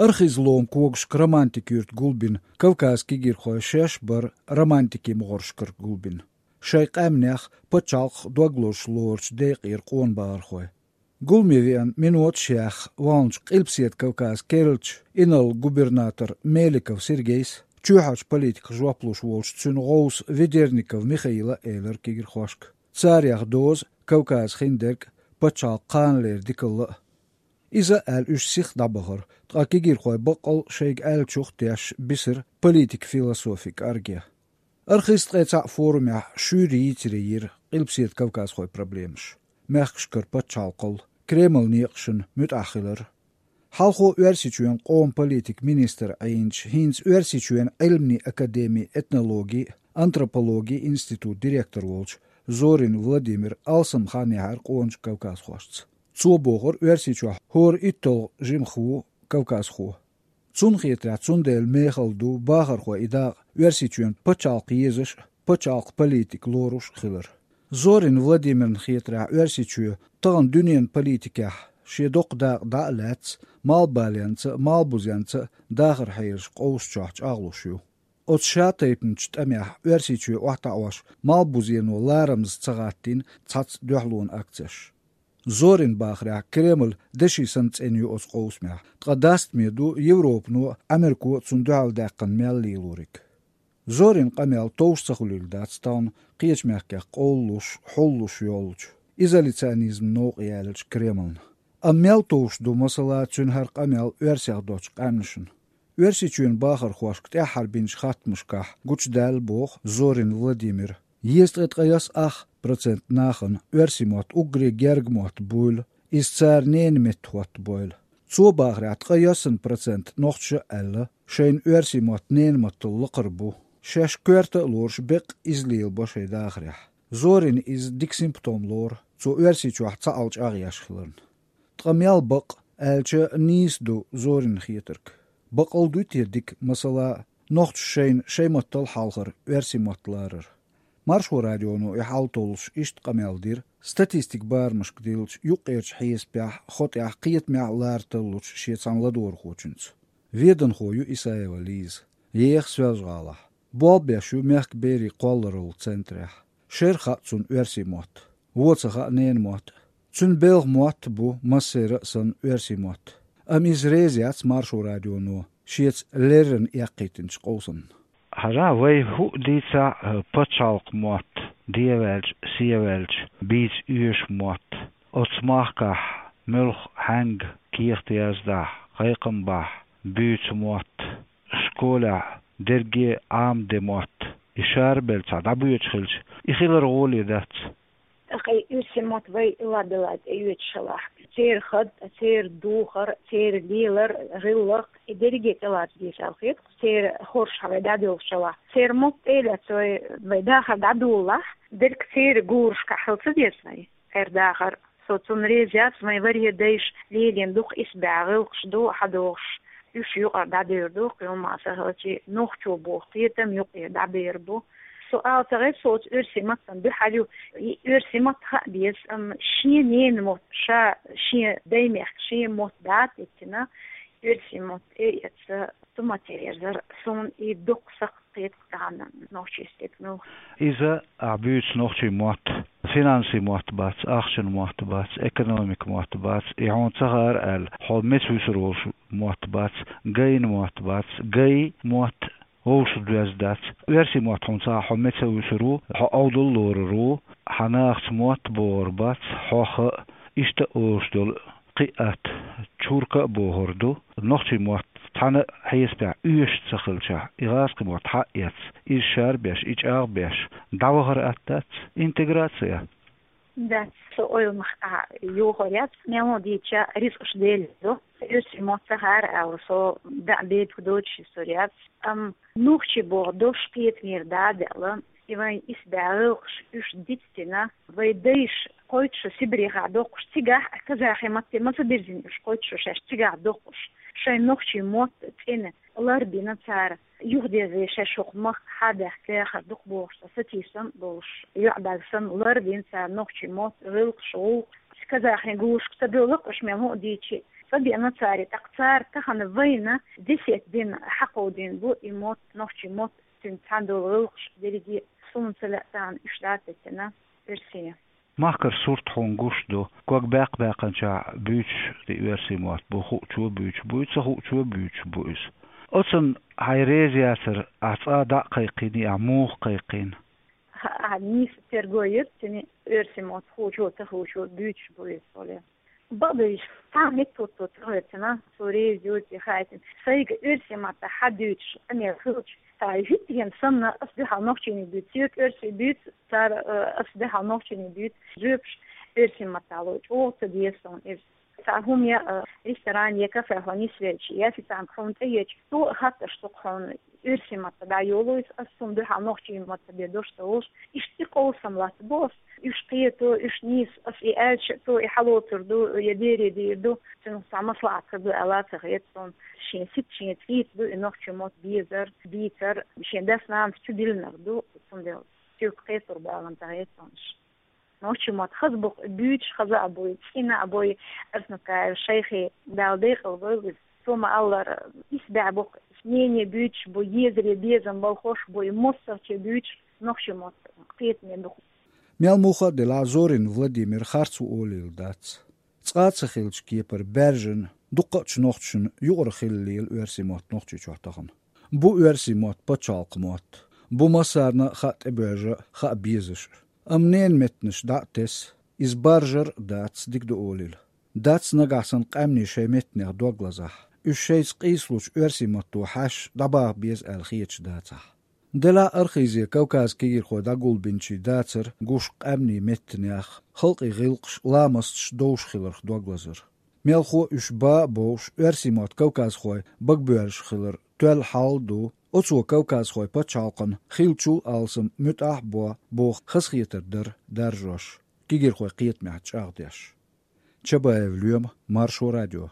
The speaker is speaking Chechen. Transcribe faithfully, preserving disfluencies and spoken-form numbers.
Архыз лома когашка Романтика юрта гулбина Кавказан кегийрхой шаьш бар романтикин могӀаршкара гулбина. Шайн къаьмнех, пачхьалкхах дог лозуш лоручу декъера къона бахархой. Гуламе веана миноташ яьхна вахначу Къилбаседа Кавказан керлачу инарла-губернатора Меликов Сергейс, чоьхьарчу политиках жоп луш волчу цуьнан гӀовса Ведерников Михаила элира кегийрхошка: царех доза Кавказан хиндерг а, пачхьалкхан кханалера дикалла а. Иза а аьлла, уьш сиха дӀабахара, ткъа кегийрхой баккъал шайга аьллачух а тешаш бисира политикан философин кӀорге. Архыз ткъе цхьаъ форумехь шуьйра йийцаре йира Къилбаседа кавказхойн проблемаш, мехкашкара пачхьалкхал, Кремлан некъашна муьтӀахь хилар. Хьалхо Оьрсийчоьнан къоман политикин министр Ӏийначу, хӀинца Оьрсийчоьнан Ӏилманийн академин этнологин а, антропологин а институтан директор волчу Зорин Владимира алсам хан яьхьира къоначу кавказхошца. Цо бохура, Оьрсийчохь хӀора итталгӀа жимахо ву кавказхо. Цунна хетарехь, цундела мехала ду бахархойн и дакъа Оьрсийчоьнан пачхьалкх езаш а, пачхьалкхан политика лоруш а хилар. Зорин Владимирна хетарехь, Оьрсийчоь тахана дуьненан политикехь шен доккха дакъа дӀа а лаьцна, малхбаленца а, малхбузенца а дахаран хьелаш къовсачохь чӀагӀлуш ю. Оцу шатайпанчу тӀамехь Оьрсийчоь охьатаӀош малхбузено ларамаза ца гӀаттийна цхьацца дуьхьалонан акцеш. Зорин бахарехь, Кремль деши санна цӀена ю оцу къовсамехь, ткъа дастаме ду Европано а, Ӏамерко а цунна дуьхьалдаьккхина мел лелориг. Зорин къамел товш ца хуьлийла дац тахана кхечу мехкех къовлалуш, хьуллуш йолчу изоляционизман новкъа яьллачу Кремлна. Амма мел товш ду, масала, цуьнан хӀара къамел оьрсех доцчу къаьмнашна? Оьрсийчоьнан бахархошка тӀаьххьара бинчу хаттамашкахь гучудаьлла, боху Зорин Владимира, езткъе ткъайоьсна ах процент нахана оьрсийн мотт уггаре герга мотт буйла, иза цара ненан метта хӀоттабойла. Цо бахарехь, ткъайоьсна процент нохчаша а аьлла, шайна оьрсийн мотт ненан маттал лакхара бу. Шаьш коьрта а лоруш, беккъа иза лелабо шайн дахарехь. Зорина иза дика симптом лору, цо Оьрсийчохь цхьаалла чӀагӀъеш хиларна. Ткъа мел бакъ, аьлча, нийса ду Зоринна хетарг? Бакъал дуй те дика, масала, нохчаша шайна шайн маттал хьалхара оьрсийн мотт ларар? Маршо радионо и хьал толлуш иштта къамел дира статистикан барамашка диллича юккъерчу хьесапехь, хотӀехь, кхетамехь лара тарлучу шен цхьана ладогӀархочуьнца. Веданхо ю Исаева Лиза, еха Соьлжа-ГӀалахь. Болх беш ю мехкан берийн кхоллараллин центрехь. Шера хаьа цунна оьрсийн мотт. Вон ца хаьа ненан мотт. Цуьнан белхан мотт а бу массеран а санна оьрсийн мотт. Амма иза реза яц Маршо радионо шеца леррина эккхийтинчу къовсамна. Хьажа, вай хӀуъа дийцахь, пачхьалкхан мотт, деваьлча, севаьлча, бийца оьшу мотт. Оцу махкахь муьлхха, хьаьнга кехат яздахь, кхайкхам бахь, буьйцу мотт, школехь дерриге Ӏамаде мотт, и шарбелла цхьа дӀабоьдуш хилча, и хилар гӀоле дац. ТӀаккха и оьрсийн мотт вай ладелла тӀеоьцуш хилахь, церан хатар, церан духар, церан лелар, гӀиллакх, и дерриге тӀелаца дезаш хета, церан хорша вай дӀадоьлхуш хилахь, церан мотт тӀелаца вай, вай дахар дӀадолалахь, дерриг церан гурашкахь хила ца деза вай, церан дахар. Со цунна реза яц, вайн варе дайша лелийна дукха исбаьхьа гӀиллакхаш ду, хьадогӀуш, уьш юкъара дӀадер ду, кхин хӀума ца хилча, нохчо боху кхетам юкъера дӀабер бу. Со ала ца гӀерта, со оцу оьрсийн маттана дуьхьал ю, и оьрсийн мотт хаа беза, амма шен ненан мотт, ша шен даймехкан шен мотт дӀа а диттина, оьрсийн мотт тӀеэца, цу мотт тӀеэрзар, суна и дукха сакхт кхета тахана нохчийн стеган. Иза ахь буьйцу нохчийн мотт, финансийн мотт бац, ахчан мотт бац, экономикан мотт бац, и хьуна ца хаьара аьлла, хьо меца вуьсур волуш мотт бац, гайна мотт бац, гай мотт вовшах доьзна дац. Оьрсийн мотт хьуна ца хаьа, хьо меца вуьсур ву, хьо Ӏовдал лорур ву, хьан нахаца мотт богӀур бац, хьох а, иштта а олуш долу кхин а атта, чурка а бохур ду, нохчийн мотт цхьана а хьесапехь оьшуш ца хилчахь, и гӀазкхийн мотт хьаэцна, иза шарбеш, и чӀагӀбеш, дӀавахар атта дац, интеграция? Дац, со ойла мах а йохор яц, мел хӀун дийча, рицкъаш Делан ду. Оьрсийн мотт ца хаьара аьлла, со дӀа а бепиг доцуш истори яц. Амма нохчий боху дош кхетамера дӀа а даьлла, и вайн исбаьхьа гӀиллакхаш уьш дицдина, вай дайша кхойтта шо Сибрехахь доккхуш, цигахь а казахи матте ма ца бирзина уьш, кхойтта шо шаьш цигахь доккхуш, шайн нохчийн мотт цӀена лардина цара, юхадерзаде шаьш хӀокху махка хьа а даьхна дахар дукха бохуш, цхьа сатийсам а болуш, йоӀ-даг санна лардина цара нохчийн мотт, гӀиллакхаш, гӀуллакх. Казахи гурашка ца доьлху уьш, мел хӀун а дийча, Ца деана цара, тӀаккха цара тахана вайна десет дина хьакховдийна бу и мотт, нохчийн мотт, цуьнца цхьана долу гӀиллакхаш дерриге а, суна ца лаьа тахана, уьш дӀа а теттина оьрсийн. Махкара сурт хьуна гуш ду, ког баьккха баьккхинчохь буьйцуш и оьрсийн мотт бу, хуучо буьйцуш бу и, ца хуучо буьйцуш бу иза. Оцунна хьайн реза яцара, ахь цкъа а дӀа а кхайкхийний, ахь муха кхайкхийна? Ахь нийса терго йира цуьнан, оьрсийн мотт хуучо, ца хуучо буьйцуш бу иза олий. Бакъдерг, цхьа а меттахӀотто ца хьоьцуш, цо реза юй, ца хаийтина. Сайга оьрсийн маттахь хьадуьйцуш къамел хилча, цхьа хӀуьттахь санна, ас дуьхьал нохчийчунна буьйцу, соьга оьрсийн буьйцу, цара, э, ас дуьхьал нохчийчунна буьйцу, жоьпаш оьрсийн маттахь ло, чӀогӀа ца деза суна иза. Цхьа хӀума я, э, ресторане я кафе хьо нисвелча, я официантка хьуна тӀееча, цо а хаттар ду-кх хьуна, оьрсийн маттахь дӀайолу иза, ас цунна дуьхьал нохчийн маттахь бен дош ца олуш, иштта и къовсам латтабо ас. Уьш кхето, уьш нийса, ас и аьлча, цо и хьалоцур ду, я бере дийр ду, цуьнан цхьа маслаӀат хир ду аьлла ца хета суна. Шен сица, шен цӀийца ду и нохчийн мотт безар, бийцар, шен дас-нанас чу диллинарг ду, цундела соьга кхетар баланца хета суна. Нохчийн мотт хаза бу-кх, буьйцуш хаза а бу, цӀена а бу, Арсанукаев Шайхи, Дала декъала войла иза. Цо ма-аллара, исбаьхьа бу-кх, снение буьйцуш бу, езаре безам болх беш бу, и массо а чу буьйцуш нохчийн мотт кхетаме бу-кх. Мел муха а делахь, Зорин Владимир харц ву олийла дац. Цкъа а ца хиллачу кепара баьржина, дуккха а чу нохчашна юкъара хила лела оьрсийн мотт Нохчийчохь тахана. Бу оьрсийн мотт пачхьалкхан мотт. Бу массарна а хаа тӀебоьрзуш а, хаа безаш а. Амма ненан меттанаш дӀа а тесна, иза баржар а дац, дика ду олийла. Дац нагахь санна къаьмнийн шайн меттанех дог лазахь, уьш шайца къийсалучу оьрсийн матто хьаьшша дӀабаха беза аьлла хеташ дацахь. Делахь а архизе Кавказан кегийрхой дӀагулбинчийн дацар гуш къаьмнийн меттанех, халкъийн гӀиллакхаш, ламасташ довш хиларх дог лазар. Мелхо а уьш бан а бовш, оьрсийн мотт кавказхойн багабоьрзуш хилар тоьлла хьал а ду, оцо кавказхойн пачхьалкхана хиллачул алсам муьтӀахь а бо боху хазахетар дара даржош, кегийрхойн кхетамехь чӀагӀдеш. Чабаев Лоьма, Маршо радио.